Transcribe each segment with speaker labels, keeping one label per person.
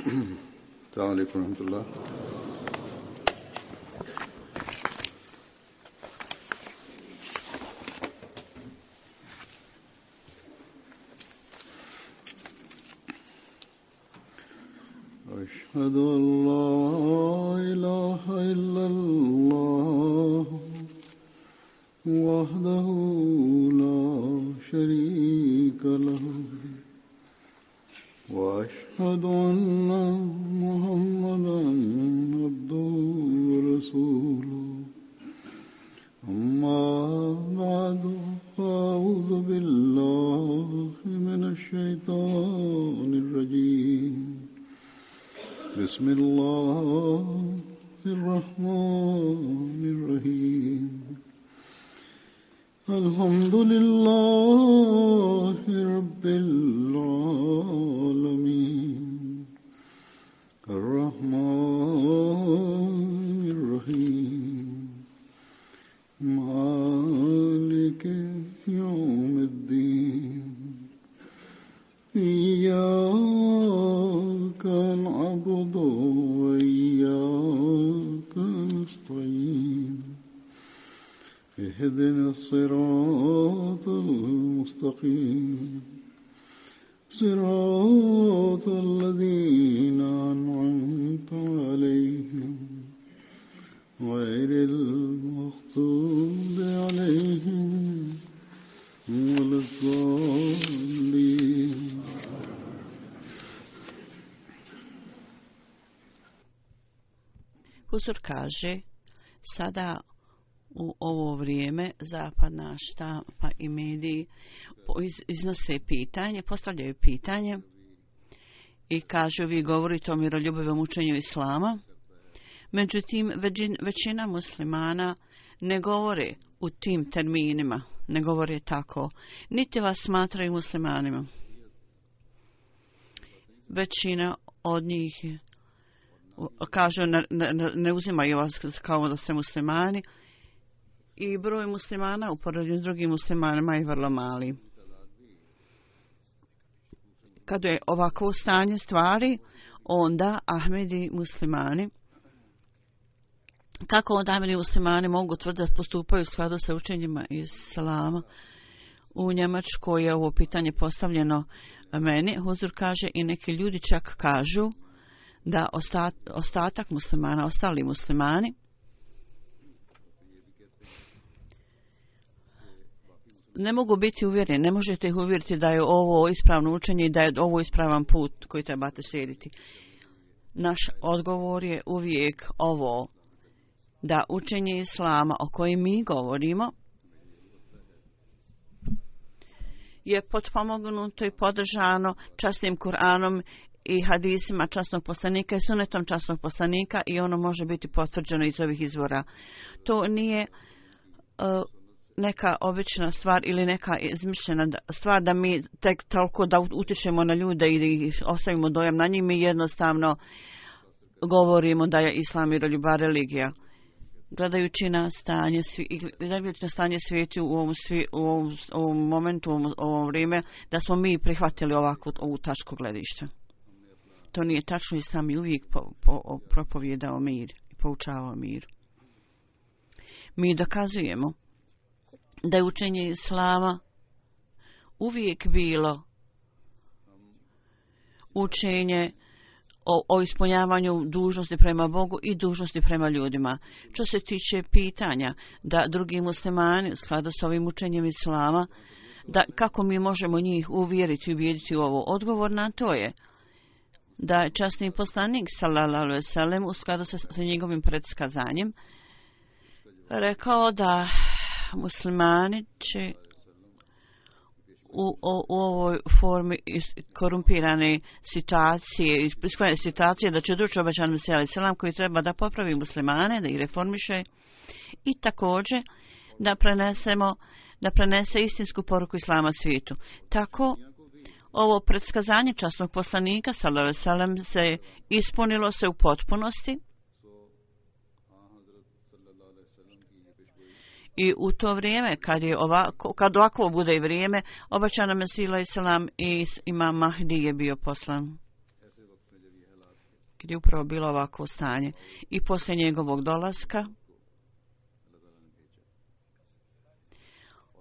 Speaker 1: السلام عليكم ورحمة الله. أشهد أن لا إله إلا الله وحده لا شريك له وأشهد أن محمدا عبده ورسوله أما بعد فأعوذ بالله من الشيطان الرجيم بسم الله الرحمن الرحيم الحمد لله رب العالمين الرحمن الرحيم مالك يوم الدين إياك نعبد وإياك نستعين اهدنا الصراط المستقيم صراط الذين أنعمت عليهم غير المغضوب عليهم ولا الضالين.
Speaker 2: Huzur kaže, sada u ovo vrijeme zapadna štampa i mediji iznose pitanje, postavljaju pitanje i kažu vi govorite o miroljubivom učenju islama. Međutim, većina muslimana ne govore u tim terminima, ne govore tako, niti vas smatraju muslimanima. Većina od njih kažu ne uzimaju vas kao da ste muslimani i broj muslimana u poređenju s drugim muslimanima je vrlo mali. Kada je ovako stanje stvari, onda Ahmedi muslimani, kako onda Ahmedi muslimani mogu tvrditi da postupaju u skladu sa učenjima islama? U Njemačkoj je ovo pitanje postavljeno meni. Huzur kaže i neki ljudi čak kažu da ostatak muslimana, ostali muslimani, ne mogu biti uvjereni, ne možete ih uvjeriti da je ovo ispravno učenje i da je ovo ispravan put koji trebate slijediti. Naš odgovor je uvijek ovo, da učenje islama o kojem mi govorimo je potpomognuto i podržano časnim Kur'anom i hadisima časnog poslanika i sunetom časnog poslanika i ono može biti potvrđeno iz ovih izvora. To nije neka obična stvar ili neka izmišljena stvar da mi tek toliko da utičemo na ljude i ostavimo dojam na njih. Mi jednostavno govorimo da je islam miroljubiva religija. Gledajući na stanje svijeta u ovom momentu, u ovom vrijeme, da smo mi prihvatili ovu tačku gledišta. To nije tačno, islam je uvijek propovijedao mir i poučavao mir. Mi dokazujemo da je učenje islama uvijek bilo učenje o ispunjavanju dužnosti prema Bogu i dužnosti prema ljudima. Što se tiče pitanja da drugi muslimani u skladu s ovim učenjem islama, da kako mi možemo njih uvjeriti i ubijediti u ovo, odgovor na to je da je časni poslanik sallallahu alejhi ve sellem u skladu sa njegovim predskazanjem rekao da muslimani će u ovoj formi korumpirane situacije da će doći obećan Mesija alejhi selam koji treba da popravi muslimane, da ih reformiše i također da prenese istinsku poruku islama svijetu. Tako ovo predskazanje časnog poslanika sallallahu alejhi ve sellem se ispunilo se u potpunosti i u to vrijeme kad ovako bude i vrijeme, obećana Mesija alejhi selam i imam Mahdi je bio poslan. gdje je upravo bilo ovako stanje. I poslije njegovog dolaska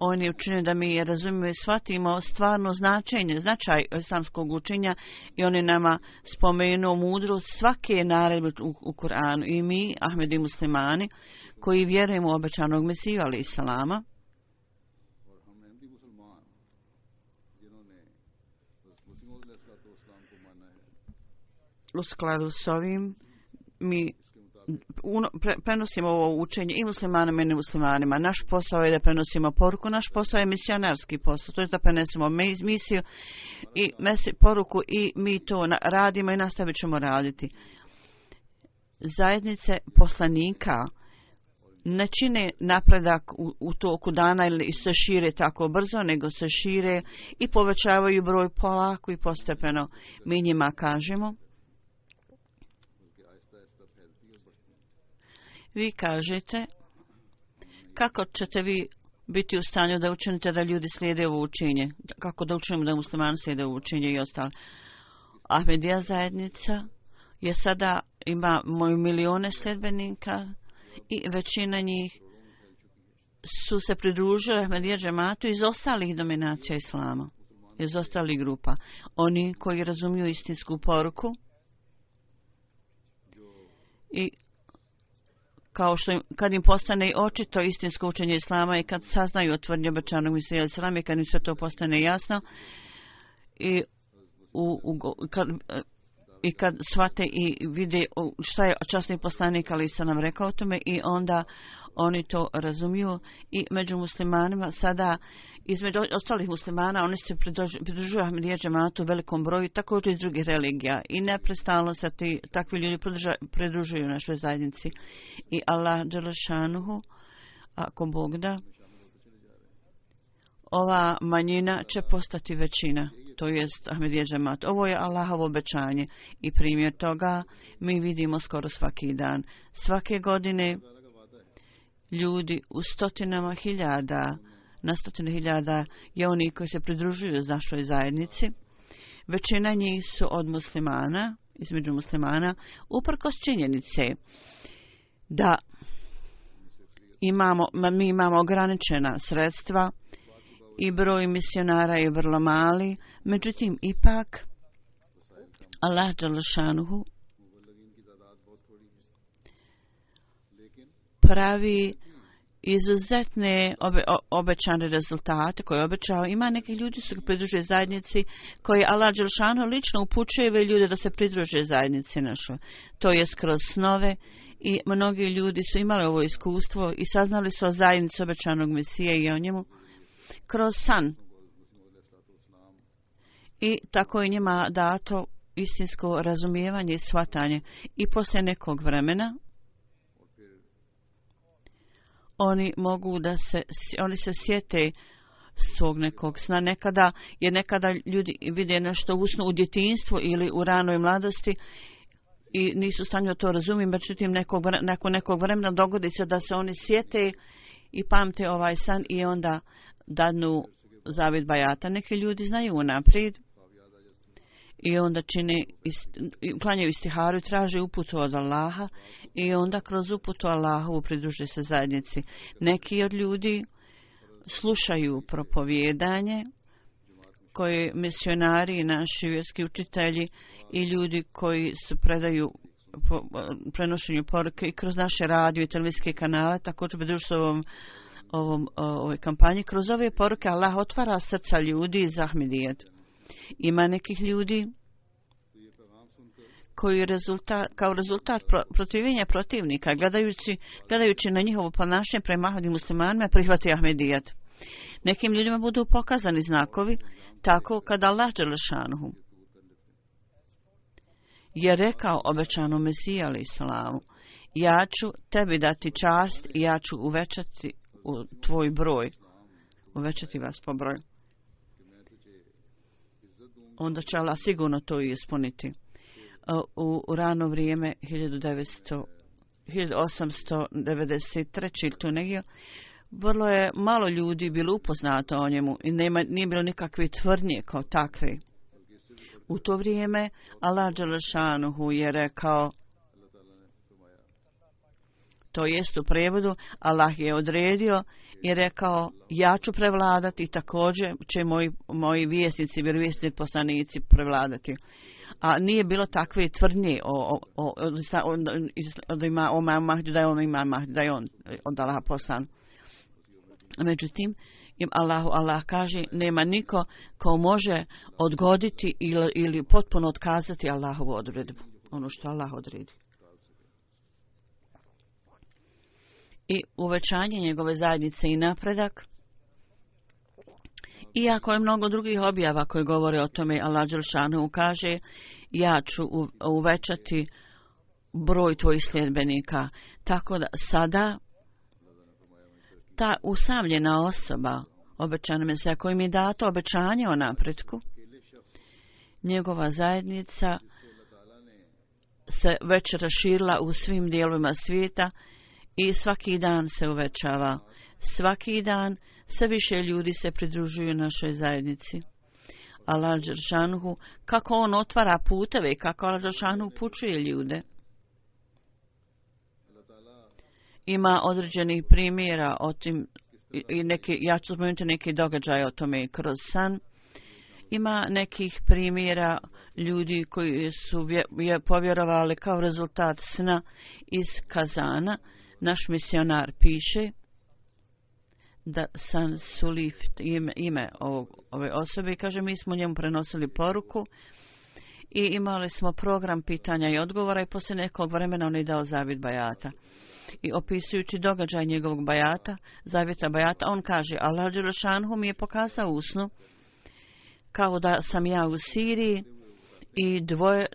Speaker 2: on je učinio da mi razumijemo i shvatimo stvarno značaj islamskog učenja i on je nama spomenuo mudrost svake naredbe u Kur'anu. I mi, Ahmedi muslimani, koji vjerujemo u obećanog Mesiju alejhi selama, u skladu s ovim mi prenosimo ovo učenje i muslimanima i nemuslimanima. Naš posao je da prenosimo poruku, naš posao je misionarski posao, to je da prenesemo misiju i poruku i mi to radimo i nastavit ćemo raditi. Zajednice poslanika ne čine napredak u toku dana ili se šire tako brzo, nego se šire i povećavaju broj polako i postepeno. Mi njima kažemo, vi kažete, kako ćete vi biti u stanju da učinite da ljudi slijede ovo učenje? Kako da učinimo da muslimani slijede ovo učenje i ostalo? Ahmedija zajednica je sada ima milijone sljedbenika i većina njih su se pridružili Ahmedija džematu iz ostalih dominacija islama, iz ostalih grupa. Oni koji razumiju istinsku poruku i kao što kad im postane očito istinsko učenje islama i kad saznaju o tvrdnji obećanog Mesija islama i kad im sve to postane jasno i kad shvate i vide šta je časni poslanik alejhi selam rekao o tome i onda oni to razumiju i među muslimanima sada između ostalih muslimana oni se pridružuju Ahmedija džematu u velikom broju također iz drugih religija i neprestano se takvi ljudi pridružuju našoj zajednici i Allah dželle šanuhu ako Bog da ova manjina će postati većina, to jest Ahmedija džemat. Ovo je Allahovo obećanje i primjer toga mi vidimo skoro svaki dan. Svake godine ljudi u stotinama hiljada, na stotine hiljada je oni koji se pridružuju našoj zajednici. Većina njih su od muslimana, između muslimana, uprkos činjenice da mi imamo ograničena sredstva i broj misionara je vrlo mali, međutim ipak Allah dželle šanuhu pravi izuzetne obećane rezultate koje je obećao. Ima neki ljudi su pridružili zajednici koji Allah dželle šanuhu lično upućuje ljude da se pridruže zajednici našoj. To je kroz snove i mnogi ljudi su imali ovo iskustvo i saznali su o zajednici obećanog Mesije i o njemu kroz san. I tako je njima dato istinsko razumijevanje i shvatanje. I poslije nekog vremena oni se sjete svog nekog sna. Nekada ljudi vide nešto u snu u djetinjstvu ili u ranoj mladosti i nisu u stanju to razumjeti, međutim nakon nekog vremena dogodi se da se oni sjete i pamte ovaj san i onda dadnu zavid bajata. Neki ljudi znaju unaprijed i onda klanjaju istiharu i traže uputu od Allaha i onda kroz uputu Allahovu pridruže se zajednici. Neki od ljudi slušaju propovijedanje koje misionari i naši vjerski učitelji i ljudi koji se predaju prenošenju poruke i kroz naše radio i televizijske kanale također pridružuju se ovoj kampanji. Kroz ove poruke Allah otvara srca ljudi za Ahmedijet. Ima nekih ljudi koji kao rezultat protivljenja protivnika, gledajući na njihovo ponašanje prema Ahmedi muslimanima, prihvati Ahmedijet. Nekim ljudima budu pokazani znakovi, tako kada Allah dželle šanuhu je rekao obećanom Mesiji alejhi selamu, ja ću tebi dati čast i ja ću uvećati tvoj broj, uvećati vas po broju. Onda će Allah sigurno to i ispuniti. U rano vrijeme 1893. tu negdje vrlo je malo ljudi bilo upoznato o njemu i nije bilo nikakve tvrdnje kao takve. U to vrijeme Allah dželešanuhu je rekao, to jest u prevodu, Allah je odredio i rekao, ja ću prevladati i također će moji vjesnici, vjerovjesnici, poslanici prevladati. A nije bilo takve tvrdnje da ima Imam Mahdi, da je on Imam Mahdi, da je on od Allaha poslan. Međutim, Allah kaže, nema niko ko može odgoditi ili potpuno otkazati Allahovu odredbu, ono što Allah odredi. I uvećanje njegove zajednice i napredak. Iako je mnogo drugih objava koje govore o tome, Allah dželešanu kaže, ja ću uvećati broj tvojih sljedbenika. Tako da sada ta usamljena osoba, obećana Mesija, kojim je dato obećanje o napretku, njegova zajednica se već raširila u svim dijelovima svijeta i svaki dan se uvećava. Svaki dan sve više ljudi se pridružuju našoj zajednici. Allah dželešanu, kako on otvara puteve i kako Allah dželešanu upućuje ljude. Ima određenih primjera o tim, ja ću spomenuti neki događaj o tome kroz san. Ima nekih primjera ljudi koji su povjerovali kao rezultat sna iz Kazana. Naš misionar piše da San Sulif, ime ove osobe, kaže, mi smo njemu prenosili poruku i imali smo program pitanja i odgovora i poslije nekog vremena on je dao zavjet bajata. I opisujući događaj njegovog bajata, zavjeta bajata, on kaže, Allah dželešanu mi je pokazao u snu kao da sam ja u Siriji i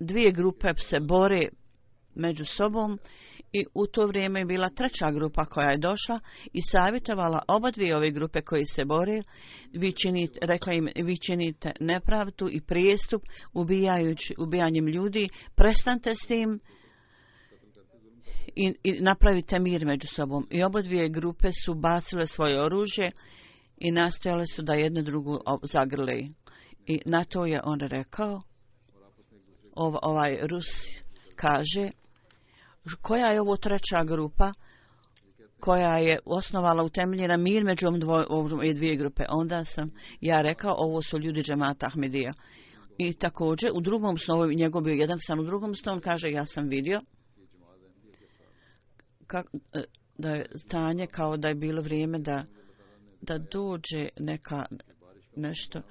Speaker 2: dvije grupe se bore među sobom i u to vrijeme je bila treća grupa koja je došla i savjetovala oba dvije ove grupe koji se bore, rekla im, vi činite nepravdu i prijestup ubijanjem ljudi, prestanite s tim i napravite mir među sobom. I oba dvije grupe su bacile svoje oružje i nastojale su da jednu drugu zagrle. I na to je on rekao, ovaj Rus kaže, koja je ovo treća grupa koja je osnovala utemeljena mir među ove dvije grupe. Onda sam ja rekao, ovo su ljudi džemata Ahmedija. I također u drugom snu, njegov bio jedan san u drugom snu, on kaže, ja sam vidio da je stanje kao da je bilo vrijeme da dođe nešto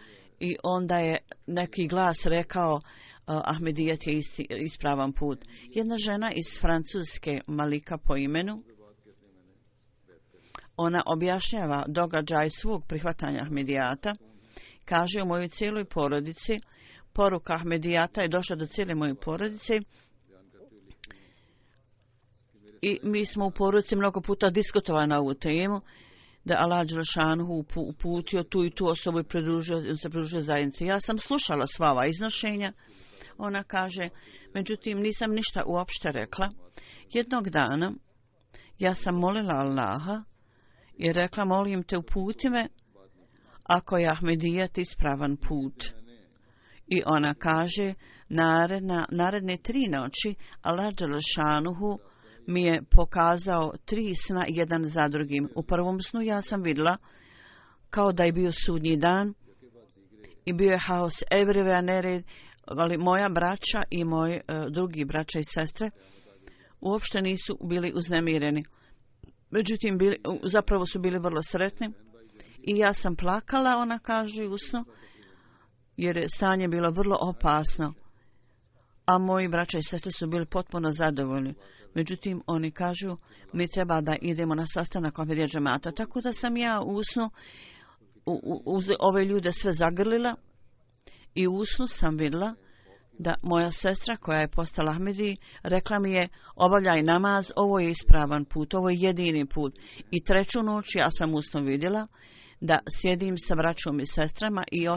Speaker 2: i onda je neki glas rekao, Ahmedijet je ispravan put. Jedna žena iz Francuske, Malika po imenu, ona objašnjava događaj svog prihvatanja Ahmedijata. Kaže, u mojoj cijeloj porodici, poruka Ahmedijata je došla do cijele moje porodice i mi smo u porodici mnogo puta diskutovali na ovu temu, da Allah dželešanu uputio tu i tu osobu i se pridružio zajednici. Ja sam slušala sva ova iznošenja, ona kaže, međutim nisam ništa uopšte rekla. Jednog dana ja sam molila Allaha i rekla, molim te uputi me ako je Ahmedijet ispravan put. I ona kaže, naredne 3 noći Allah dželešanu mi je pokazao 3 sna jedan za drugim. U prvom snu ja sam vidjela kao da je bio sudnji dan i bio je haos everywhere, nered, ali moja braća i moji drugi braća i sestre uopšte nisu bili uznemireni. Međutim, zapravo su bili vrlo sretni i ja sam plakala, ona kaže u snu, jer je stanje bilo vrlo opasno, a moji braća i sestre su bili potpuno zadovoljni. Međutim, oni kažu, mi treba da idemo na sastanak Ahmedija džemata. Tako da sam ja u snu uz ove ljude sve zagrlila i u snu sam vidjela da moja sestra koja je postala Ahmedi rekla mi je, obavljaj namaz, ovo je ispravan put, ovo je jedini put. I 3. noć ja sam u snu vidjela da sjedim sa braćom i sestrama i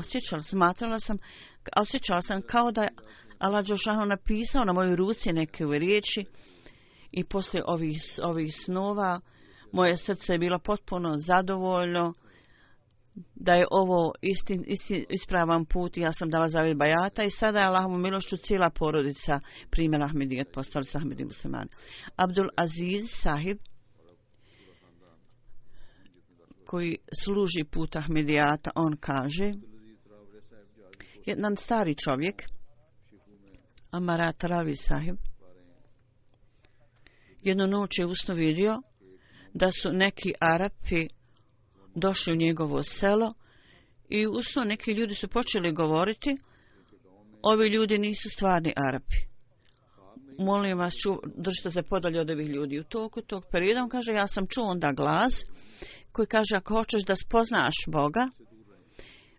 Speaker 2: osjećala sam kao da Allah dželešanu napisao na mojoj ruci neke riječi. I poslije ovih snova moje srce je bilo potpuno zadovoljno da je ovo ispravan put. Ja sam dala zavjet bajata i sada je Allahovom milošću cijela porodica primjela Ahmedijet, postali su Ahmedi muslimani. Abdul Aziz sahib, koji služi put Ahmedijata, on kaže, jedan stari čovjek, Amarat Ravi sahib, jednu noć je usno vidio da su neki Arapi došli u njegovo selo i usno neki ljudi su počeli govoriti, ovi ljudi nisu stvarni Arapi. Molim vas, držite se podalje od ovih ljudi. U toku tog perioda on kaže, ja sam čuo onda glas koji kaže, ako hoćeš da spoznaš Boga,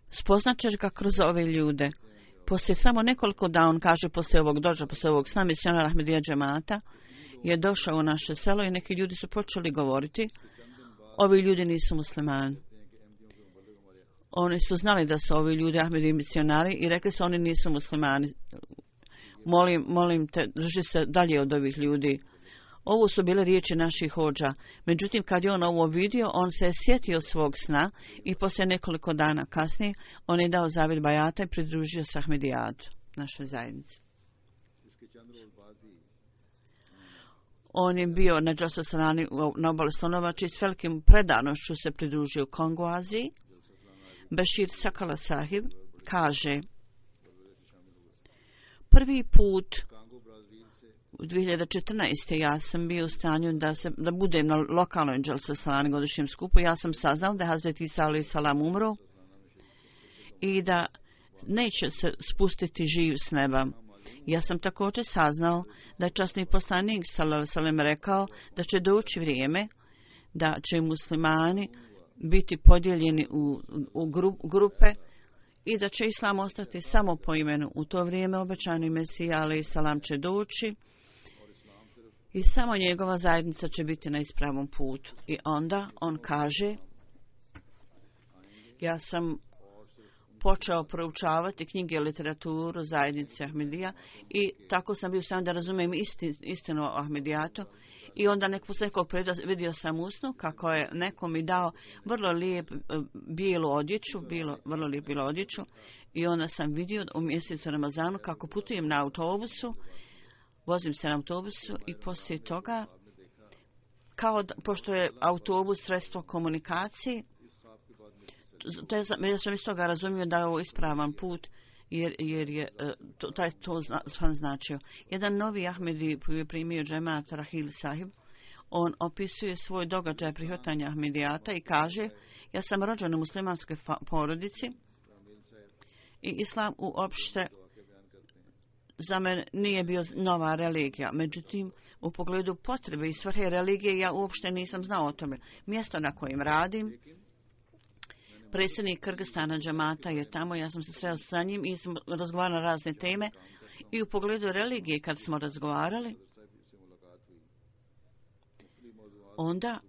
Speaker 2: spoznaćeš ga kroz ove ljude. Poslije samo nekoliko dana, on kaže, poslije ovog dođa, poslije ovog sna misionara Ahmedija džemata, je došao u naše selo i neki ljudi su počeli govoriti, ovi ljudi nisu muslimani. Oni su znali da su ovi ljudi Ahmedi misionari i rekli su, oni nisu muslimani. Molim te, drži se dalje od ovih ljudi. Ovo su bile riječi naših hođa. Međutim, kad je on ovo vidio, on se je sjetio svog sna i poslije nekoliko dana kasnije on je dao zavjet bajata i pridružio se Ahmedijatu, našoj zajednici. On je bio na Džasasalani na obali Slonovače i s velikim predanošću se pridružio Kongu Aziji. Bešir Sakala sahib kaže, prvi put u 2014. ja sam bio u stanju da budem na lokalnoj Džasasalani godišnjem skupu. Ja sam saznal da je Hazreti Isa alejhi salam umro i da neće se spustiti živ s neba. Ja sam također saznao da je časni poslanik sallallahu alejhi ve sellem rekao da će doći vrijeme da će muslimani biti podijeljeni u grupe i da će islam ostati samo po imenu. U to vrijeme obećani Mesija alejhi salam će doći i samo njegova zajednica će biti na ispravom putu. I onda on kaže, ja sam počeo proučavati knjige i literaturu zajednice Ahmedija i tako sam bio sam da razumijem istinu o Ahmedijatu. I onda posle nekog perioda vidio sam usnu kako je neko mi dao vrlo lijep bijelu odjeću, vrlo lijep bijelu odjeću i onda sam vidio u mjesecu Ramazanu kako putujem na autobusu, vozim se na autobusu i poslije toga, pošto je autobus sredstvo komunikacije, ja sam iz toga razumio da je ovo ispravan put, jer je to značio. Jedan novi Ahmedi koji je primio džemat Rahil sahib, on opisuje svoj događaj prihvatanja Ahmedijata i kaže, ja sam rođen u muslimanskoj porodici i islam uopšte za mene nije bio nova religija. Međutim, u pogledu potrebe i svrhe religije ja uopšte nisam znao o tome. Mjesto na kojem radim, predsjednik Kırgızstana džemata je tamo, ja sam se sreo sa njim i sam razgovarala na razne teme. I u pogledu religije kad smo razgovarali, onda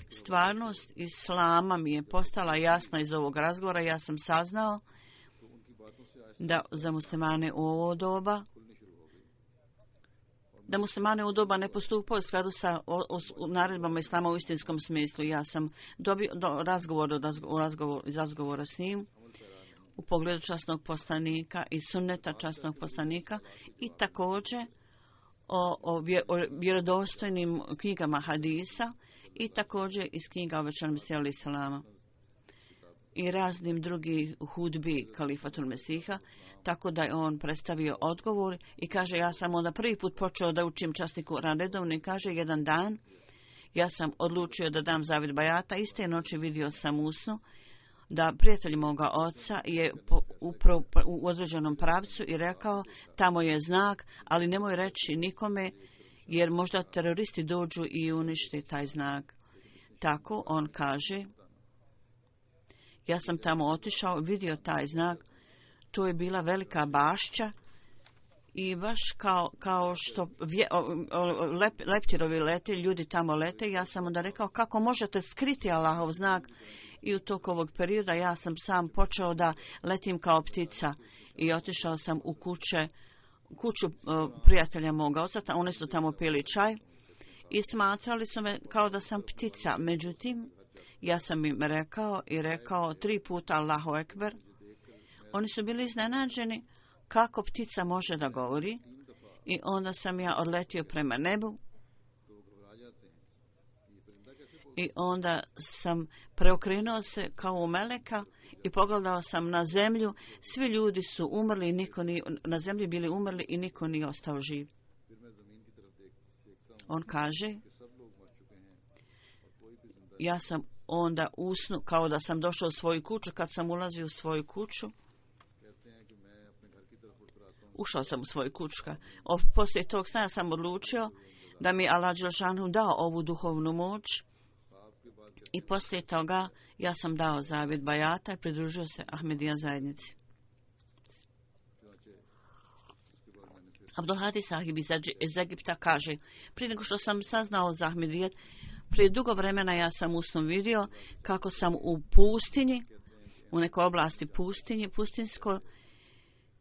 Speaker 2: stvarnost islama mi je postala jasna iz ovog razgovora. Ja sam saznao da za muslimane u ovo doba, da muslimane u doba ne postupaju u skladu sa naredbama islama u istinskom smislu. Ja sam dobio iz razgovora s njim u pogledu časnog poslanika i sunneta časnog poslanika i također o vjerodostojnim knjigama hadisa i također iz knjiga obećanog Mesija alejhi selama i raznim drugih hudbi kalifatul Mesiha, tako da je on predstavio odgovor i kaže, ja sam onda prvi put počeo da učim časni Kur'an redovno i kaže, jedan dan ja sam odlučio da dam zavjet bajata, iste noći vidio sam usnu da prijatelj moga oca je u određenom pravcu i rekao, tamo je znak, ali nemoj reći nikome, jer možda teroristi dođu i uništi taj znak. Tako on kaže, ja sam tamo otišao, vidio taj znak, to je bila velika bašća i baš kao što leptirovi lete, ljudi tamo lete, ja sam onda rekao, kako možete skriti Allahov znak? I u toku ovog perioda ja sam sam počeo da letim kao ptica i otišao sam u kuću prijatelja moga oca, oni su tamo pili čaj i smatrali su me kao da sam ptica. Međutim, Ja sam im rekao 3 puta Allahu Ekber. Oni su bili iznenađeni kako ptica može da govori i onda sam ja odletio prema nebu i onda sam preokrenuo se kao u meleka i pogledao sam na zemlju. Svi ljudi su umrli, na zemlji bili umrli i niko nije ostao živ. On kaže, ja sam onda usnu kao da sam došao u svoju kuću. Kad sam ulazio u svoju kuću, ušao sam u svoju kuću. Poslije tog sna sam odlučio da mi Allah dželešanu dao ovu duhovnu moć i poslije toga ja sam dao zavjet bajata i pridružio se Ahmedija zajednici. Abdulhadi Sahib iz Egipta kaže, prije nego što sam saznao za Ahmedijet, prije dugo vremena ja sam u snu vidio kako sam u pustinji, u nekoj oblasti pustinskoj,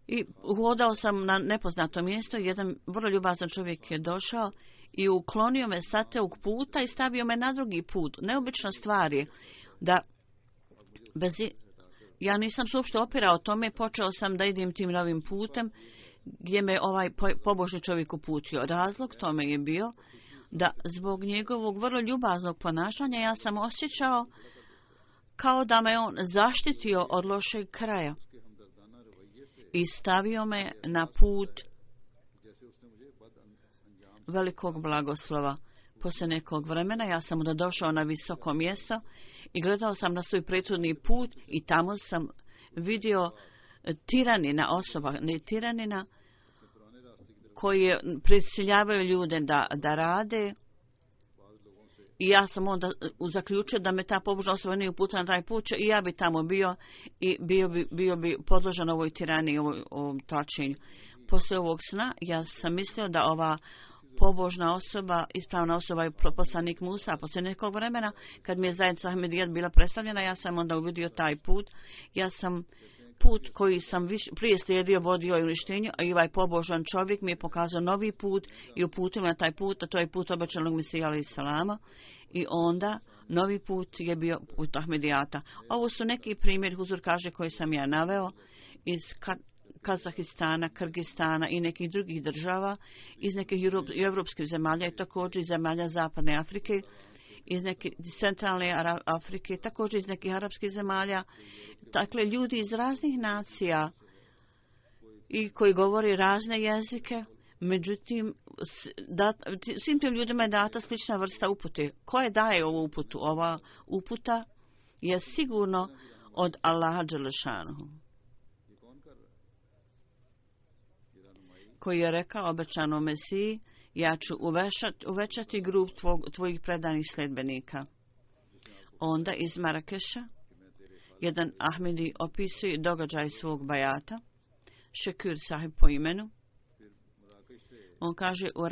Speaker 2: i hodao sam na nepoznato mjesto. Jedan vrlo ljubazan čovjek je došao i uklonio me sa tog puta i stavio me na drugi put. Neobična stvar je da ja nisam se uopšte opirao tome, počeo sam da idem tim novim putem gdje me ovaj pobožni čovjek uputio. Razlog tome je bio da zbog njegovog vrlo ljubaznog ponašanja ja sam osjećao kao da me on zaštitio od lošeg kraja i stavio me na put velikog blagoslova. Poslije nekog vremena ja sam onda došao na visoko mjesto i gledao sam na svoj prethodni put i tamo sam vidio tiranina koji prisiljavaju ljude da rade. I ja sam onda zaključio da me ta pobožna osoba nije uputila na taj put i ja bi tamo bio i bio bi podložen ovoj tiraniji, ovom tlačenju. Poslije ovog sna ja sam mislio da ova pobožna osoba, ispravna osoba je poslanik Musa. Poslije nekog vremena, kad mi je zajednica Ahmedijet bila predstavljena, ja sam onda uvidio taj put. Ja sam put koji sam prije slijedio, vodio i uništenju, a i ovaj pobožan čovjek mi je pokazao novi put i uputio na taj put, a to je put obećanog Mesija alejhi selama. I onda novi put je bio put Ahmedijata. Ovo su neki primjeri, Huzur kaže, koji sam ja naveo iz Kazahistana, Kırgızstana i nekih drugih država, iz nekih evropskih zemalja i također iz zemalja Zapadne Afrike, iz neke centralne Afrike, također iz nekih arapskih zemalja. Dakle, ljudi iz raznih nacija i koji govori razne jezike, međutim, svim tim ljudima je data slična vrsta upute. Ko je daje ovu uputu? Ova uputa je sigurno od Allaha dželešanuhu, koji je rekao obećanom Mesiji, ja ću uvećati grup tvojih predanih sledbenika. Onda iz Marakeša jedan Ahmedi opisuje događaj svog bajata, Šekür Sahib po imenu. On kaže u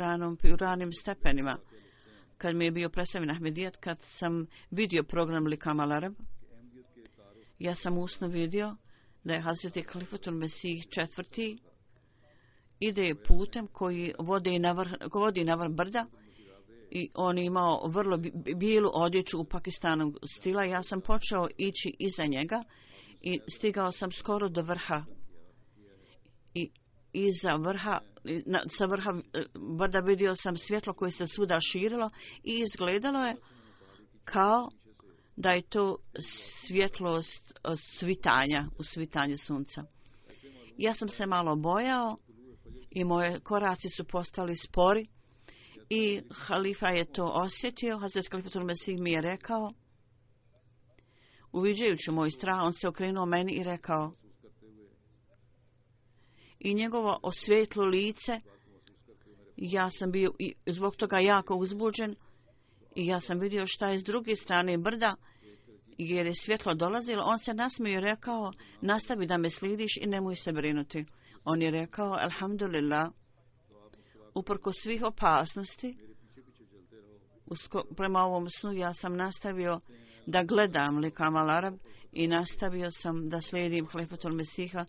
Speaker 2: ranim stepenima, kad mi je bio predstavljen Ahmedijet, kad sam vidio program Likam al Arab, ja sam usno vidio da je Hazreti Khalifatul Mesih IV ide putem koji vodi na vrh brda i on je imao vrlo bijelu odjeću u Pakistanu stila. Ja sam počeo ići iza njega i stigao sam skoro do vrha i sa vrha brda vidio sam svjetlo koje se svuda širilo i izgledalo je kao da je to svjetlost u svitanju sunca. Ja sam se malo bojao i moje koraci su postali spori i halifa je to osjetio. Hazret Khalifatul Mesih mi je rekao, uviđajući moj strah, on se okrenuo meni i rekao, i njegovo osvijetlo lice, ja sam bio zbog toga jako uzbuđen i ja sam vidio šta je s druge strane brda, jer je svjetlo dolazilo. On se nasmio i rekao, nastavi da me slidiš i nemoj se brinuti. On je rekao, alhamdulillah, uprko svih opasnosti, prema ovom snu ja sam nastavio da gledam Likam al Arab i nastavio sam da slijedim Khalifatul Mesiha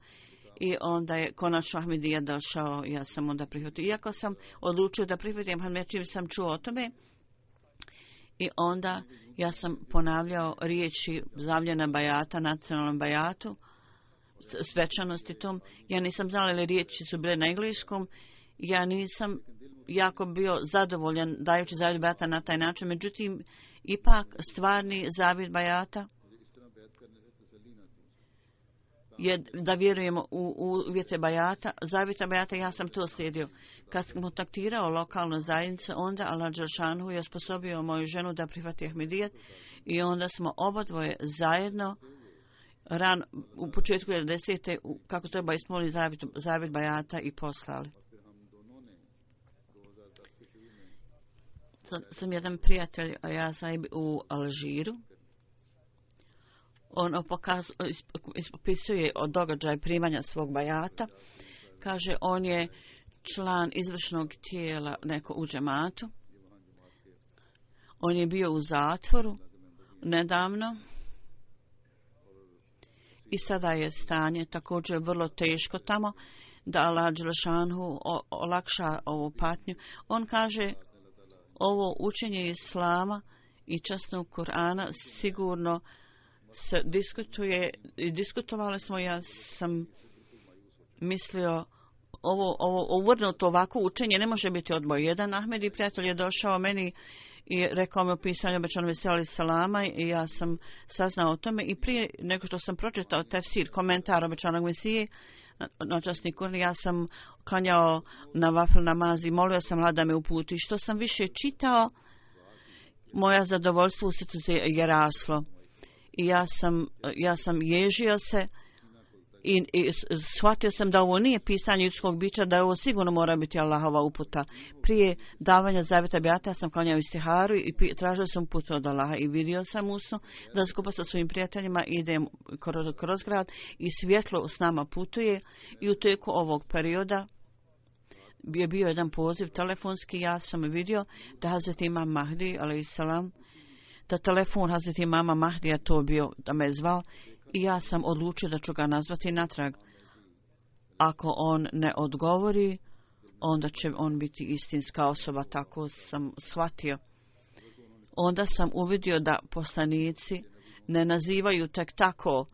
Speaker 2: i onda je konačno Ahmedija došao, ja sam onda prihvatio. Iako sam odlučio da prihvatim Ahmedija, čim sam čuo o tome, I onda ja sam ponavljao riječi zavljena bajata, nacionalnom bajatu, svečanosti tom. Ja nisam znala li riječi su bile na engleskom. Ja nisam jako bio zadovoljan dajući zavjet bajata na taj način. Međutim, ipak stvarni zavjet bajata je da vjerujemo u uvjete bajata, zavjeta bajata, ja sam to slijedio. Kad sam kontaktirao lokalnu zajednicu, onda Allah Đelšanhu je osposobio moju ženu da prihvati Ahmedijet i onda smo obadvoje zajedno u početku 90. kako treba ispunili zavjet bajata i poslali. Sam jedan prijatelj, a ja sam u Alžiru. On opisuje o događaju primanja svog bajata. Kaže, on je član izvršnog tijela neko u džematu. On je bio u zatvoru nedavno. I sada je stanje također vrlo teško tamo, da Allah Đelšanhu olakša ovu patnju. On kaže, ovo učenje Islama i časnog Kur'ana sigurno se diskutuje i diskutovali smo. Ja sam mislio ovo uvrnuto ovako učenje ne može biti odboj. Jedan Ahmedi prijatelj je došao meni i rekao mi o pisanju obećanog Mesija alejhi selama i ja sam saznao o tome i prije nego što sam pročitao tefsir, komentar obećanog Mesije na časni Kur'an, ja sam klanjao na vafil namaz i molio sam Allah da me uputi. Što sam više čitao, moja zadovoljstvo u srcu je raslo. I ja sam ježio se i shvatio sam da ovo nije pisanje ljudskog bića, da ovo sigurno mora biti Allahova uputa. Prije davanja zavjeta bajata sam klanjao istiharu i tražio sam uputu od Allaha i vidio sam usno da skupa sa svojim prijateljima idem kroz grad i svjetlo s nama putuje i u tijeku ovog perioda je bio jedan poziv telefonski. Ja sam vidio da Hazreti Imam Mahdi alejselam, da telefon Hazreti Imama Mahdija to bio, da me je zvao i ja sam odlučio da ću ga nazvati natrag. Ako on ne odgovori, onda će on biti istinska osoba, tako sam shvatio. Onda sam uvidio da poslanici ne nazivaju tek tako.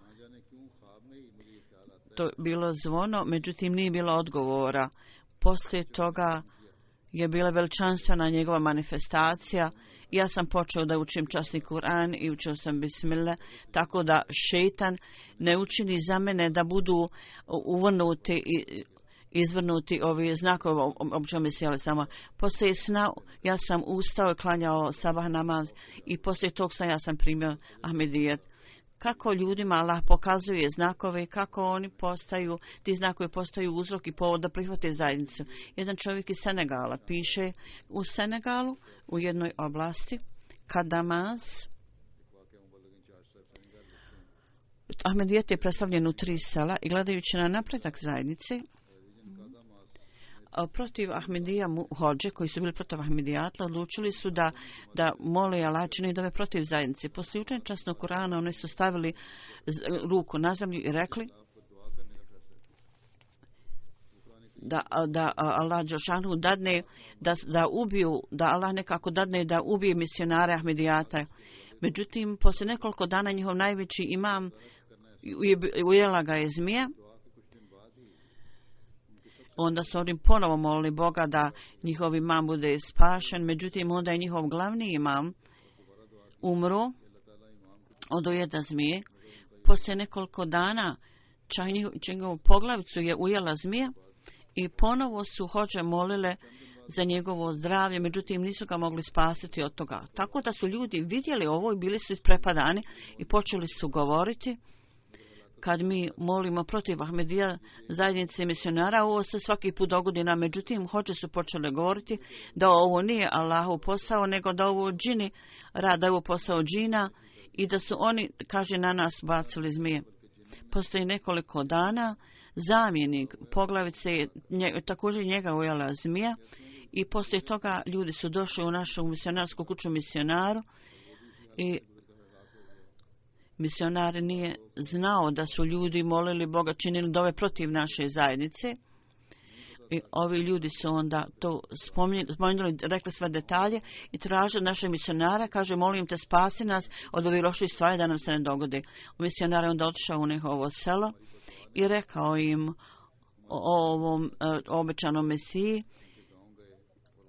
Speaker 2: To bilo zvono, međutim nije bilo odgovora. Poslije toga je bila veličanstvena njegova manifestacija. Ja sam počeo da učim časni Kur'an i učio sam bismillah, tako da šejtan ne učini za mene da budu uvrnuti i izvrnuti ovi znakovi obećanog Mesija alejhi selama. Poslije sna ja sam ustao i klanjao sabah namaz i poslije tog sna ja sam primio Ahmedijet. Kako ljudima Allah pokazuje znakove, kako oni postaju, ti znakovi postaju uzrok i povod da prihvate zajednicu. Jedan čovjek iz Senegala piše, u Senegalu, u jednoj oblasti, Kadamaz, Ahmedijet je predstavljen u 3 sela i gledajući na napredak zajednice, protiv Ahmedija hođe, koji su bili protiv Ahmedijatla, odlučili su da mole Allah čini dove protiv zajednice. Poslije učenja časnog Kur'ana oni su stavili ruku na zemlju i rekli da Allah Đelšanhu dadne da ubiju, da Allah nekako dadne da ubije misionare Ahmedijata. Međutim, poslije nekoliko dana njihov najveći imam ujela ga je zmija. Onda su oni ponovo molili Boga da njihov imam bude spašen. Međutim, onda je njihov glavni imam umro od ujeda zmije. Poslije nekoliko dana čak njegovu poglavicu je ujela zmija i ponovo su hođe molile za njegovo zdravlje, međutim nisu ga mogli spasiti od toga. Tako da su ljudi vidjeli ovo i bili su isprepadani i počeli su govoriti. Kad mi molimo protiv Ahmedija zajednice misionara, ovo se svaki put dogodi nam. Međutim, hođe su počeli govoriti da ovo nije Allahov posao, nego da ovo džini rada, ovo posao džina i da su oni, kaže, na nas bacili zmije. Postoji nekoliko dana, zamjenik poglavice također njega ujela zmija i poslije toga ljudi su došli u našu misionarsku kuću misionaru i misionar nije znao da su ljudi molili Boga, činili dove protiv naše zajednice I ovi ljudi su onda to spomenuli, rekli sve detalje i tražili naše misionara, kaže molim te spasi nas od ovih loših stvari da nam se ne dogode. Misionar je onda otišao u njihovo selo i rekao im o ovom obećanom Mesiji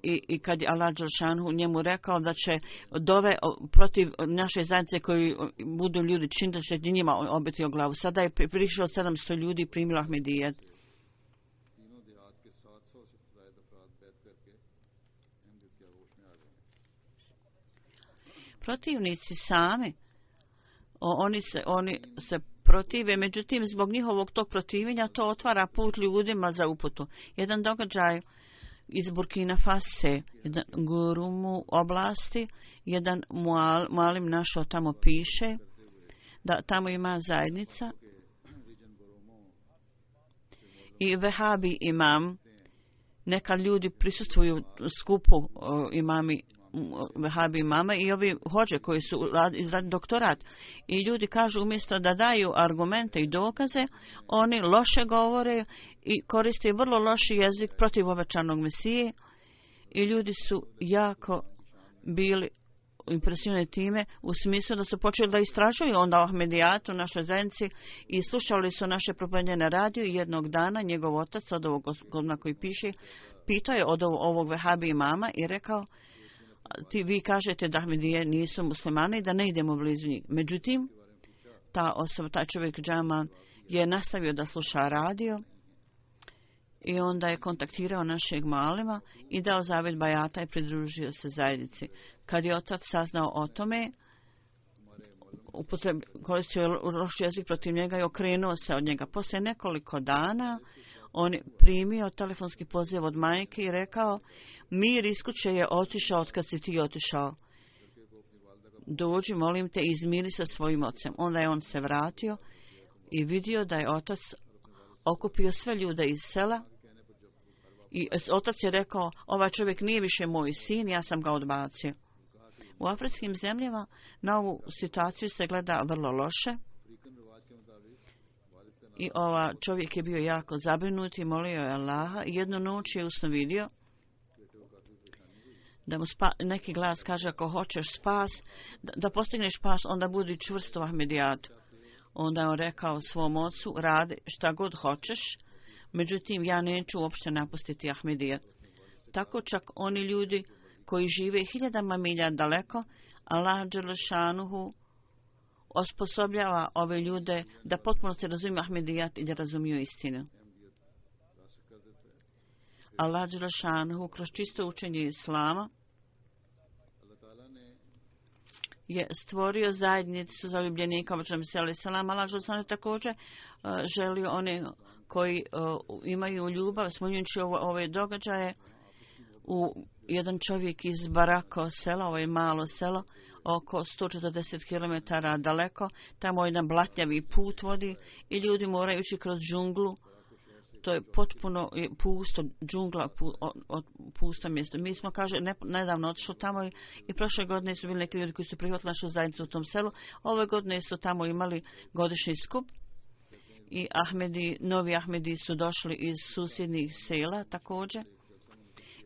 Speaker 2: i kad je Allah Đelšanhu njemu rekao da će dove protiv naše zajednice koji budu ljudi činiti da će njima obiti o glavu. Sada je prišlo 700 ljudi i primilo Ahmedijet. Protivnici sami, oni se protive, međutim zbog njihovog tog protivljenja to otvara put ljudima za uputu. Jedan događaj iz Burkina Fase, jedan gurumu oblasti, jedan mualim našao tamo piše da tamo ima zajednica i vehabi imam, neka ljudi prisustvuju skupu imami vehabi imama i ovi hođe koji su izradili doktorat i ljudi kažu umjesto da daju argumente i dokaze, oni loše govore i koriste vrlo loši jezik protiv obećanog Mesije i ljudi su jako bili impresionirani time u smislu da su počeli da istražuju onda o Ahmedijatu u našoj zajednici i slušali su naše propovjedanje na radiju i jednog dana njegov otac od ovog godina koji piše pitao je od ovog vehabi imama i rekao vi kažete da Ahmedije nisu muslimani i da ne idemo blizu njih. Međutim, ta osoba, taj čovjek džama je nastavio da sluša radio i onda je kontaktirao našeg malima i dao zavjet bajata i pridružio se zajednici. Kad je otac saznao o tome, koristio je loš jezik protiv njega i okrenuo se od njega. Poslije nekoliko dana on je primio telefonski poziv od majke i rekao mir iz kuće je otišao od kad si ti otišao. Dođi, molim te, izmiri sa svojim ocem. Onda je on se vratio i vidio da je otac okupio sve ljude iz sela i otac je rekao ovaj čovjek nije više moj sin, ja sam ga odbacio. U afričkim zemljama na ovu situaciju se gleda vrlo loše i čovjek je bio jako zabrinut i molio je Allaha i jednu noć je usno vidio da mu neki glas kaže ako hoćeš spas, da postigneš spas, onda budi čvrst u Ahmedijatu. Onda je on rekao svom ocu, radi šta god hoćeš, međutim ja neću uopšte napustiti Ahmedijat. Tako čak oni ljudi koji žive hiljadama milja daleko, Allah Đelešanuhu osposobljava ove ljude da potpuno se razumiju Ahmedijat i da razumiju istinu. Allah Đelešanuhu kroz čisto učenje Islama je stvorio zajednicu zaljubljenika obećanog Mesija alejhi selam. Allah Đelešanuhu također želio one koji imaju ljubav, smanjujući ove događaje. Jedan čovjek iz Barako sela, ovo je malo selo, oko 140 km daleko, tamo jedan blatnjavi put vodi i ljudi moraju ići kroz džunglu. To je potpuno pusto, džungla, pusto mjesto. Mi smo, kaže, nedavno otišli tamo i prošle godine su bili neki ljudi koji su prihvatili našu zajednicu u tom selu. Ove godine su tamo imali godišnji skup i novi Ahmedi su došli iz susjednih sela također.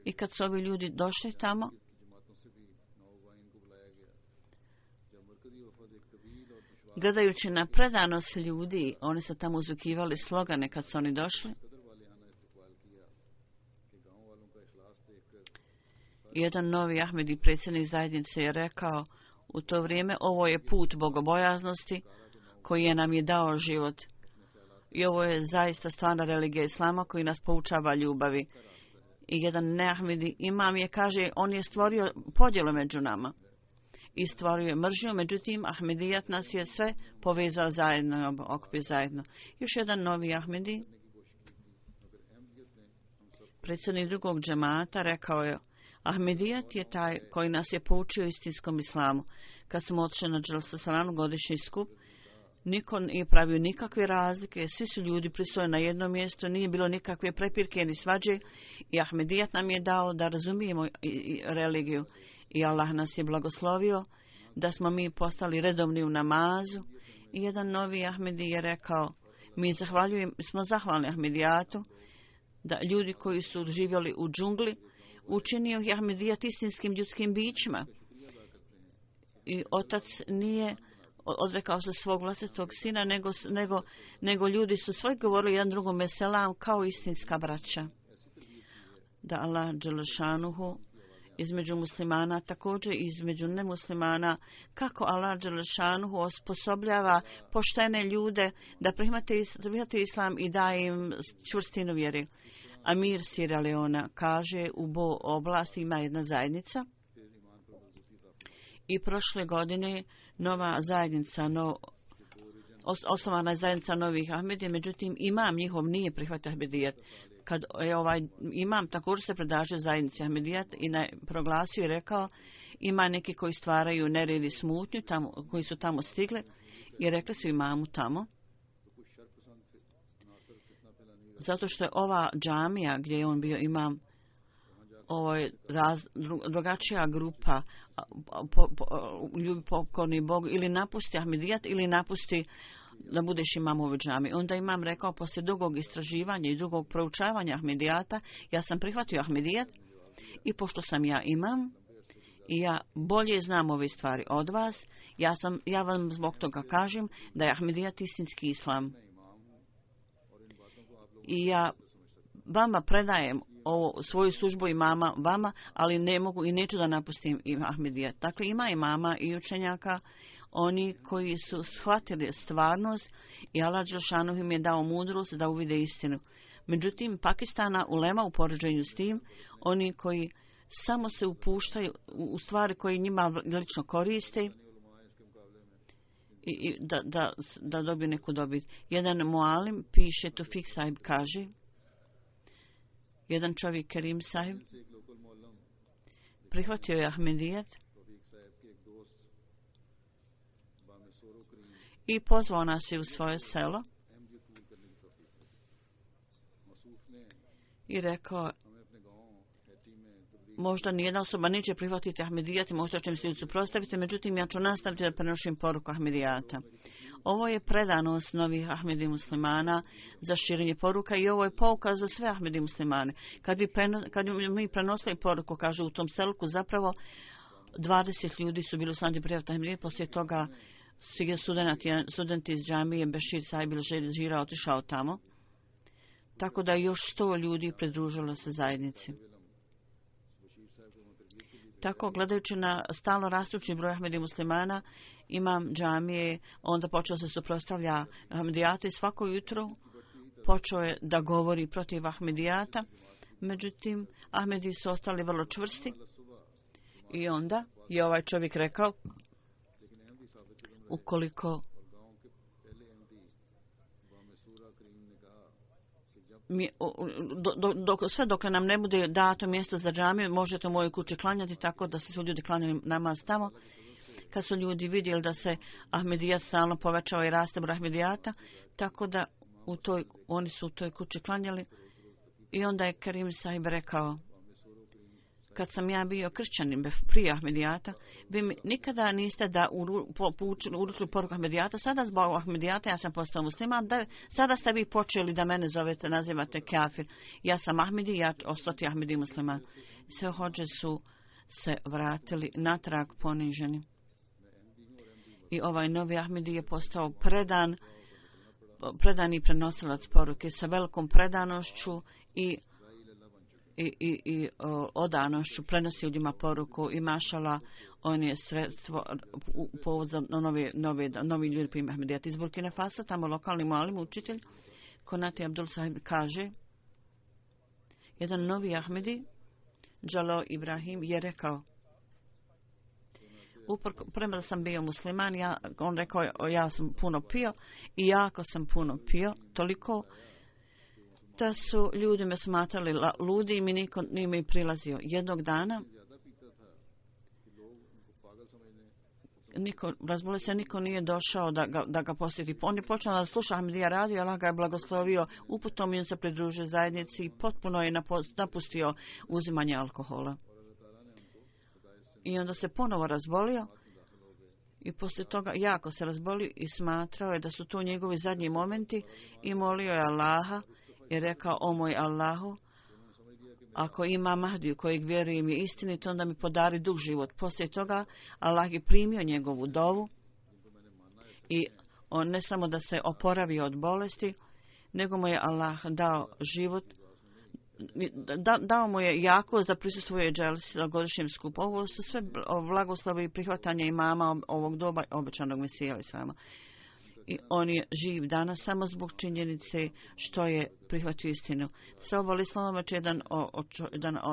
Speaker 2: I kad su ovi ljudi došli tamo, gledajući na predanost ljudi, oni su tamo uzvikivali slogane kad su oni došli. Jedan novi Ahmedi, predsjednik zajednice, je rekao u to vrijeme, ovo je put bogobojaznosti koji je nam je dao život. I ovo je zaista stvarna religija Islama koji nas poučava ljubavi. I jedan neahmedi imam je, kaže, on je stvorio podjelu među nama. I stvorio je mržnju, međutim, Ahmedijat nas je sve povezao zajedno, okupio zajedno. Još jedan novi Ahmedi, predsjednik drugog džemata, rekao je, Ahmedijat je taj koji nas je poučio istinskom islamu. Kad smo otišli na Dželsa Salanu godišnji skup, niko nije pravio nikakve razlike, svi su ljudi pristojni na jednom mjestu, nije bilo nikakve prepirke ni svađe i Ahmedijat nam je dao da razumijemo religiju. I Allah nas je blagoslovio da smo mi postali redovni u namazu. I jedan novi Ahmedi je rekao, smo zahvalni Ahmedijatu da ljudi koji su živjeli u džungli učinio ih Ahmedijat istinskim ljudskim bićima. I otac nije odrekao se svog vlastitog sina, nego ljudi su svoj govorili jedan drugome selam kao istinska braća. Da Allah dželešanuhu između muslimana, također između nemuslimana, kako Allah dželešanuhu osposobljava poštene ljude da prihvate islam i daje im čvrstinu vjeri. Amir Sierra Leona kaže u Bo oblasti ima jedna zajednica i prošle godine nova zajednica, osnovana je zajednica novih Ahmedija, međutim imam njihov nije prihvatio Ahmedijat. Kad je imam također se predlaže zajednici Ahmedijat i proglasio i rekao ima neki koji stvaraju nered i smutnju tamo, koji su tamo stigli i rekli su imamu tamo. Zato što je ova džamija gdje je on bio imam, ovo je drugačija grupa ljubi pokorni Bog, ili napusti Ahmedijat ili napusti da budeš imam ove džamije. Onda imam rekao poslije dugog istraživanja i dugog proučavanja Ahmedijata, ja sam prihvatio Ahmedijat i pošto sam ja imam i ja bolje znam ove stvari od vas, ja vam zbog toga kažem da je Ahmedijat istinski islam. I ja vama predajem svoju službu imama vama, ali ne mogu i neću da napustim Ahmedijat. Dakle, ima imama i učenjaka, oni koji su shvatili stvarnost i Allah dželešanu im je dao mudrost da uvide istinu. Međutim, Pakistana ulema u poređenju s tim, oni koji samo se upuštaju u stvari koje njima lično koriste i da dobiju neku dobit. Jedan mualim piše, Tufik Sahib kaže, jedan čovjek Kerim Sahib prihvatio je Ahmedijat i pozvao nas je u svoje selo i rekao možda nijedna osoba neće prihvatiti Ahmedijat i možda će mi se suprotstaviti, međutim ja ću nastaviti da prenošim poruku Ahmedijata. Ovo je predanost novih Ahmedi muslimana za širenje poruka i ovo je pouka za sve Ahmedi muslimane. Kad bi mi prenosili poruku, kaže u tom selku, zapravo 20 ljudi su bili u slanji prijavta Ahmedijat, poslije toga studenti iz džamije Bešir Sahib Žira otišao tamo, tako da još 100 ljudi pridružilo se zajednici. Tako, gledajući na stalno rastući broj Ahmedi muslimana, imam džamije, onda počeo se suprotstavlja Ahmedijata i svako jutro počeo je da govori protiv Ahmedijata. Međutim, Ahmedi su ostali vrlo čvrsti i onda je ovaj čovjek rekao ukoliko sve dokle nam ne bude dato mjesto za džamiju, možete u mojoj kući klanjati, tako da se svi ljudi klanjali namaz tamo. Kad su ljudi vidjeli da se Ahmedijat stalno povećao i raste broj Ahmedijata, tako da oni su u toj kući klanjali. I onda je Kerim Sahib rekao, kad sam ja bio kršćanin prije Ahmedijata, vi mi nikada niste da uručili poruku Ahmedijata, sada zbog Ahmedijata ja sam postao musliman, sada ste vi počeli da mene zovete, nazivate kafir. Ja sam Ahmedi, ja ostati Ahmedi musliman. Sve hođe su se vratili natrag poniženi. I ovaj novi Ahmedi je postao predani prenosilac poruke sa velikom predanošću i odanošću prenosi ljudima poruku i mašala on je sredstvo povod za novi ljudi prima Ahmedijata iz Burkina Faso. Tamo lokalni mualim učitelj Konati Abdul Sahib kaže, jedan novi Ahmedi Džalo Ibrahim je rekao, prema da sam bio musliman, on rekao ja sam puno pio i jako sam puno pio, toliko da su ljudi me smatrali ludi i mi niko nije mi prilazio. Jednog dana razbolio se, niko nije došao da ga posjeti. On je počeo da sluša Ahmedija radio, Allah ga je blagoslovio uputom i on se pridružio zajednici i potpuno je napustio uzimanje alkohola. I onda se ponovo razbolio i poslije toga jako se razbolio i smatrao je da su to njegovi zadnji momenti i molio je Allaha i rekao: o moj Allahu, ako ima Mahdiju kojeg vjerujem je istinit, onda mi podari dug život. Poslije toga Allah je primio njegovu dovu i on ne samo da se oporavio od bolesti, nego mu je Allah dao život, dao mu je jako da prisustvuje dželsi godišnjem skupu. Ovo su sve blagoslovi i prihvatanja imama ovog doba obećanog Mesija islama. I on je živ danas samo zbog činjenice što je prihvatio istinu. Saoba islama će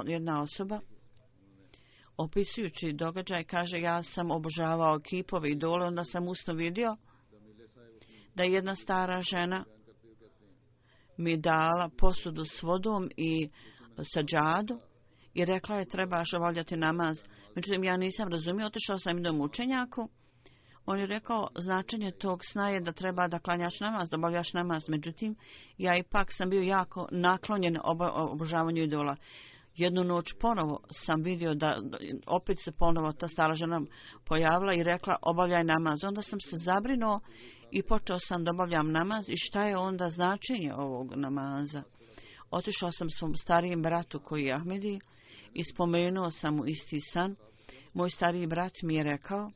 Speaker 2: jedna osoba opisujući događaj kaže: ja sam obožavao kipove i idole, onda sam usno vidio da je jedna stara žena mi dala posudu s vodom i sađadu i rekla je: trebaš obavljati namaz. Međutim, ja nisam razumio, otišao sam jednom učenjaku. On je rekao: značenje tog sna je da treba da klanjaš namaz, da obavljaš namaz. Međutim, ja ipak sam bio jako naklonjen obožavanju idola. Jednu noć ponovo sam vidio da opet se ponovo ta stara žena pojavila i rekla: obavljaj namaz. Onda sam se zabrinuo i počeo sam da obavljam namaz. I šta je onda značenje ovog namaza? Otišao sam svom starijem bratu koji je Ahmedi i spomenuo sam mu isti san. Moj stariji brat mi je rekao: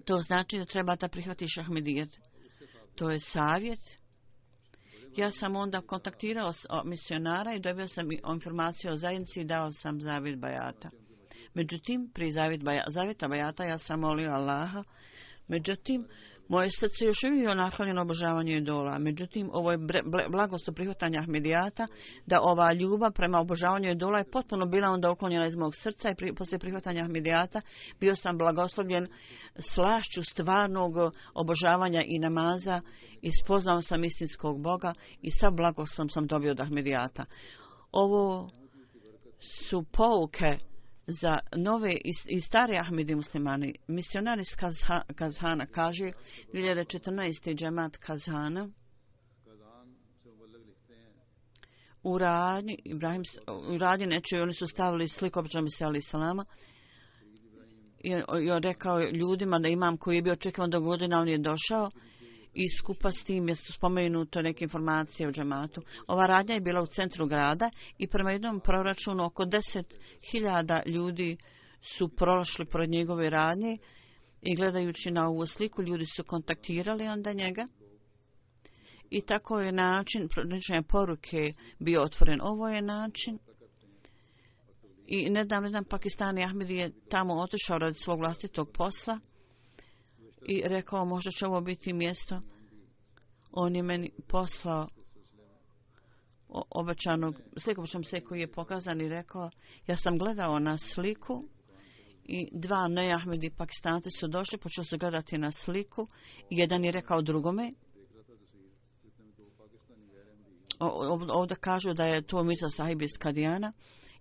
Speaker 2: to znači da treba da prihvatiš Ahmedijet. To je savjet. Ja sam onda kontaktirao misionara i dobio sam informaciju o zajednici i dao sam zavjet bajata. Međutim, pri zavjeta bajata ja sam molio Allaha. Međutim, moje srce još uvijek je naklonjeno obožavanju idola. Međutim, ovo je blagoslov prihvatanja Ahmedijata, da ova ljubav prema obožavanju idola je potpuno bila onda uklonjena iz mog srca i poslije prihvatanja Ahmedijata bio sam blagoslovljen slašću stvarnog obožavanja i namaza i spoznao sam istinskog Boga i sav blagoslov sam dobio od Ahmedijata. Ovo su pouke za nove i stare Ahmedi muslimani. Misionar iz Kazhana kaže 2014. džemat Kazhana u radnji nečoj oni su stavili sliku običnog Mesija alejhi selama i rekao ljudima da imam koji je bio očekivan do godina, on je došao i skupa s tim je spomenuto neke informacije o džematu. Ova radnja je bila u centru grada i prema jednom proračunu oko 10.000 ljudi su prošli pored njegove radnje i gledajući na ovu sliku ljudi su kontaktirali onda njega i tako je način pronečenja poruke bio otvoren. Ovo je način i nedavno Pakistani Ahmedi je tamo otišao radi svog vlastitog posla i rekao možda će ovo biti mjesto. On je meni poslao obećanog sliku se koji je pokazan i rekao ja sam gledao na sliku i dva neahmedi Pakistanci su došli, počeli su gledati na sliku i jedan je rekao drugome. Ovdje kažu da je to Mirza Sahib iz Kadijana.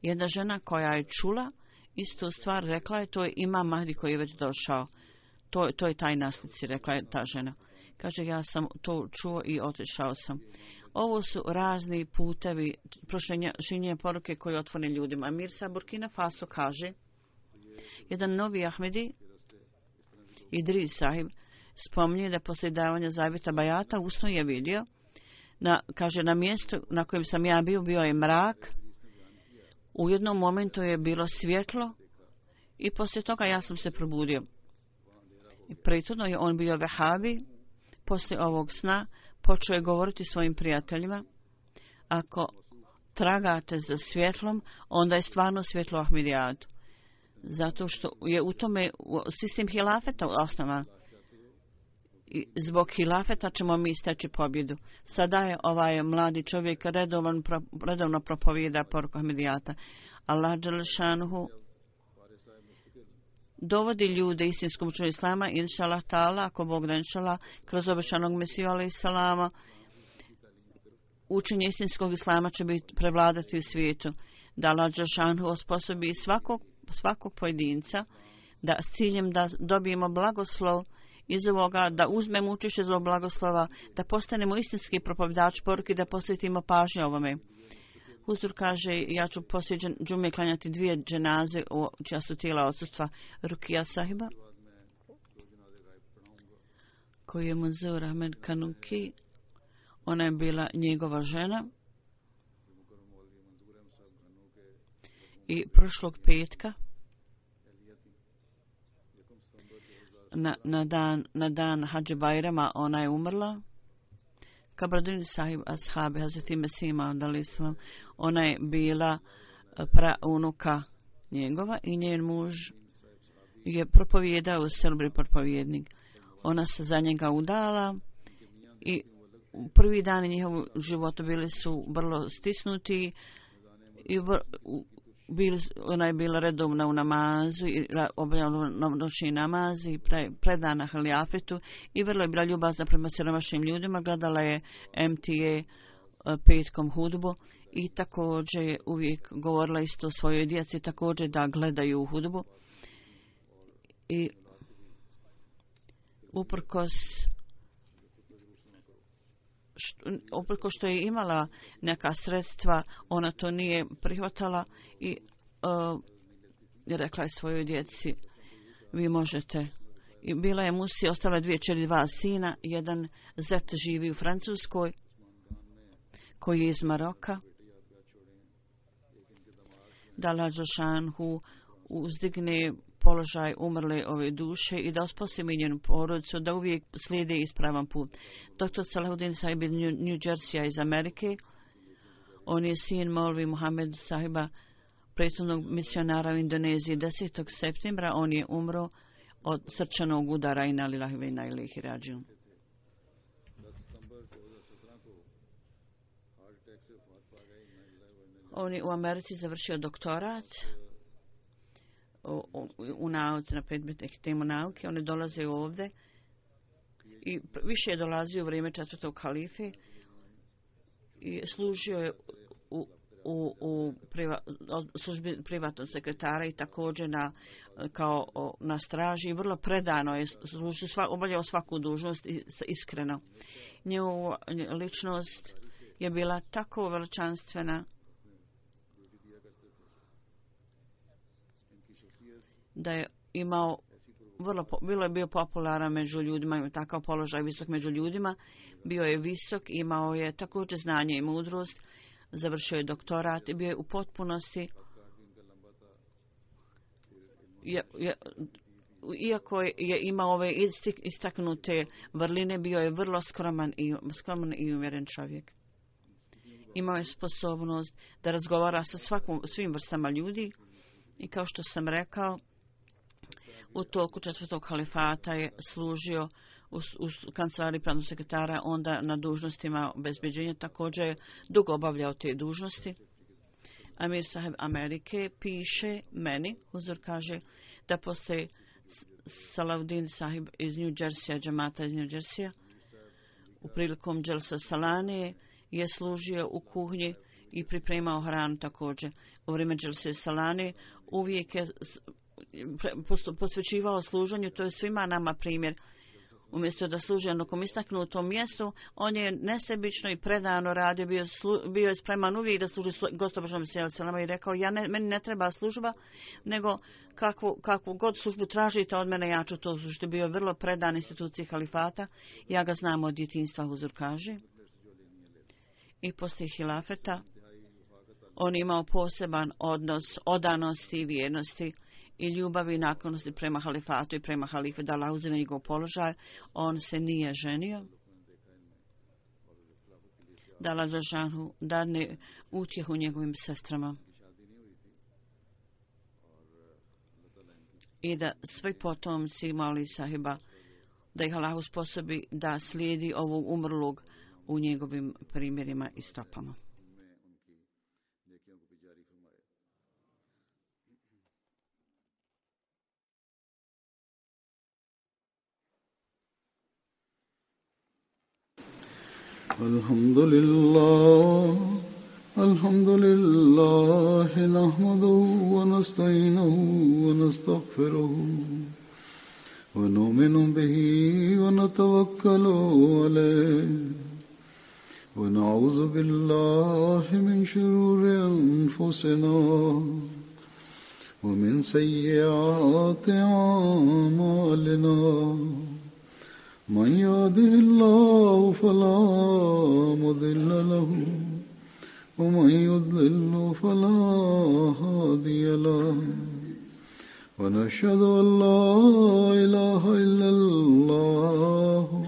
Speaker 2: Jedna žena koja je čula istu stvar rekla je to je Imam Mahdi koji je već došao. To je taj naslici, rekla je ta žena. Kaže, ja sam to čuo i otišao sam. Ovo su razni putevi prošenja poruke koje otvore ljudima. Mirza Burkina Faso kaže, jedan novi Ahmedi, Idris Sahib, spominje da poslije davanja zavjeta bajata usno je vidio, kaže, na mjestu na kojem sam ja bio je mrak, u jednom momentu je bilo svjetlo i poslije toga ja sam se probudio. I prethodno je on bio vehabi. Poslije ovog sna počeo je govoriti svojim prijateljima, ako tragate za svjetlom, onda je stvarno svjetlo Ahmedijatu. Zato što je u tome sistem hilafeta osnovan. I zbog hilafeta ćemo mi steći pobjedu. Sada je ovaj mladi čovjek redovno propovijeda poruku Ahmedijata. Allah dželešanuhu dovodi ljude istinskom učenju islama, inšalah ta'ala, ako Bog da inšalah, kroz obećanog Mesiju alejhi selama, učenje istinskog islama će biti prevladati u svijetu. Da Allah dželešanuhu osposobi svakog pojedinca da s ciljem da dobijemo blagoslov iz ovoga, da uzmemo učešće iz ovog blagoslova, da postanemo istinski propovjedač poruke, da posvetimo pažnju ovome. Huzur kaže, ja ću poslije džume klanjati 2 dženaze čija su tijela odsustva Rukija Sahiba, koji je Manzur Ahmed Kanuki. Ona je bila njegova žena. I prošlog petka na dan Hadži Bajrama ona je umrla. Kabradin sahib ashabi Hazreti Mesih Maud al-Islam. Ona je bila praunuka njegova i njen muž je propovijedao u Selbri propovjednik. Ona se za njega udala i prvi dani njihovog života bili su vrlo stisnuti i ona je bila redovna u namazu i obavljala noćni namaz i predana halijafetu i vrlo je bila ljubazna prema siromašnim ljudima. Gledala je MTA petkom hudbu i također je uvijek govorila isto svojoj djeci također da gledaju hudbu. I uprkos što je imala neka sredstva, ona to nije prihvatala i rekla je svojoj djeci, vi možete. I bila je Musi, ostala 2 kćeri, 2 sina, jedan zet živi u Francuskoj, koji je iz Maroka. Da Allah Đelšanhu uzdigne položaj umrle ove duše i da osposobi njenu porodicu da uvijek slijede ispravan put. Dr. Salahuddin sahib iz New Jersey iz Amerike. On je sin Molvi Muhammed sahiba, prethodnog misionara u Indoneziji. 10. septembra on je umro od srčanog udara i nalilahi ve inna ilaihi rađiun. On je u Americi završio doktorat u nauci na predmetnih temu nauke. Oni dolaze ovdje i više je dolazio u vrijeme 4. halife i služio je u službi privatnog sekretara i također na straži. Vrlo predano je obavljao svaku dužnost iskreno. Njegova ličnost je bila tako veličanstvena da je imao bilo je bio popularan među ljudima, imao takav položaj visok među ljudima, bio je visok, imao je također znanje i mudrost, završio je doktorat i bio je u potpunosti, iako je imao ove istaknute vrline, bio je vrlo skroman i umjeren čovjek. Imao je sposobnost da razgovara sa svim vrstama ljudi i kao što sam rekao, u toku 4. halifata je služio u kancelariji pravnog sekretara, onda na dužnostima obezbeđenja, također je dugo obavljao te dužnosti. Amir sahib Amerike piše meni, Huzur kaže, da postoji Salahuddin sahib iz New Jersey, džamata iz New Jersey, u prilikom Dželsa Salane je služio u kuhinji i pripremao hranu također. U vrijeme Dželse Salane uvijek je posvećivao služenju, to je svima nama primjer. Umjesto da služi na nekom istaknutom mjestu, on je nesebično i predano radio, bio je spreman uvijek da služi Gospodarom Selama i rekao, meni ne treba služba, nego kakvu god službu tražite od mene, ja ću to služiti. Bio je vrlo predan instituciji halifata, ja ga znam od djetinjstva, Huzur kaže. I poslije hilafeta on imao poseban odnos odanosti i vjernosti i ljubavi i naklonosti prema halifatu i prema halife, da Allah uzme njegov položaj. On se nije ženio. Da Allah Đelšanhu dadne utjehu njegovim sestrama. I da svi potomci Mauli sahiba, da ih Allah usposobi da slijedi ovog umrlog u njegovim primjerima i stopama.
Speaker 1: الحمد لله نحمده ونستعينه ونستغفره ونؤمن به ونتوكل عليه ونعوذ بالله من شرور أنفسنا ومن سيئات أعمالنا من يهده الله فلا مضل له ومن يضلل فلا هادي له ونشهد أن لا إله إلا الله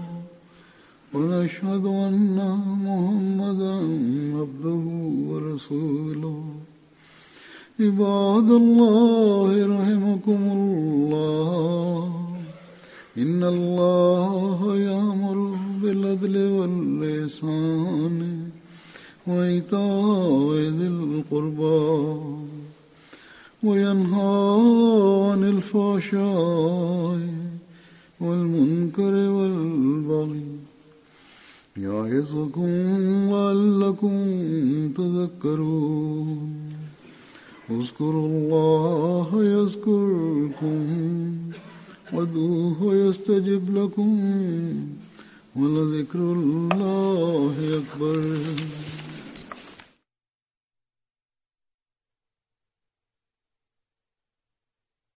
Speaker 1: ونشهد أن محمدا عبده ورسوله عباد الله رحمكم الله إن الله يأمر بالعدل والإحسان وإيتاء ذي القربى وينهى عن الفحشاء والمنكر والبغي يعظكم لعلكم تذكرون اذكروا الله يذكركم وادعوه يستجب لكم ولذكر الله أكبر